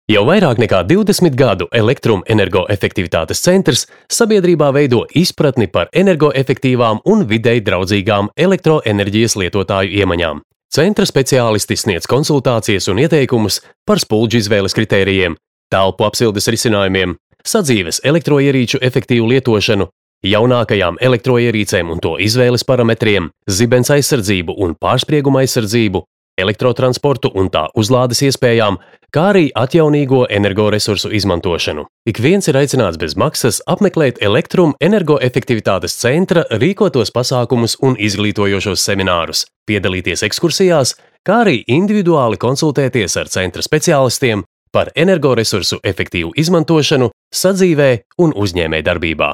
Jau vairāk nekā 20 gadu Elektroenergoefektivitātes centrs sabiedrībā veido izpratni par energoefektīvām un videi draudzīgām elektroenerģijas lietotāju iemaņām. Centra speciālisti sniedz konsultācijas un ieteikumus par spuldžu izvēles kritērijiem, telpu apsildes risinājumiem, sadzīves elektroierīču efektīvu lietošanu, jaunākajām elektroierīcēm un to izvēles parametriem, zibens aizsardzību un pārsprieguma aizsardzību, elektrotransportu un tā uzlādes iespējām, kā arī atjaunīgo energoresursu izmantošanu. Ik viens ir aicināts bez maksas apmeklēt Elektroenergoefektivitātes centra rīkotos pasākumus un izglītojošos seminārus, piedalīties ekskursijās, kā arī individuāli konsultēties ar centra speciālistiem par energoresursu efektīvu izmantošanu sadzīvē un uzņēmējdarbībā.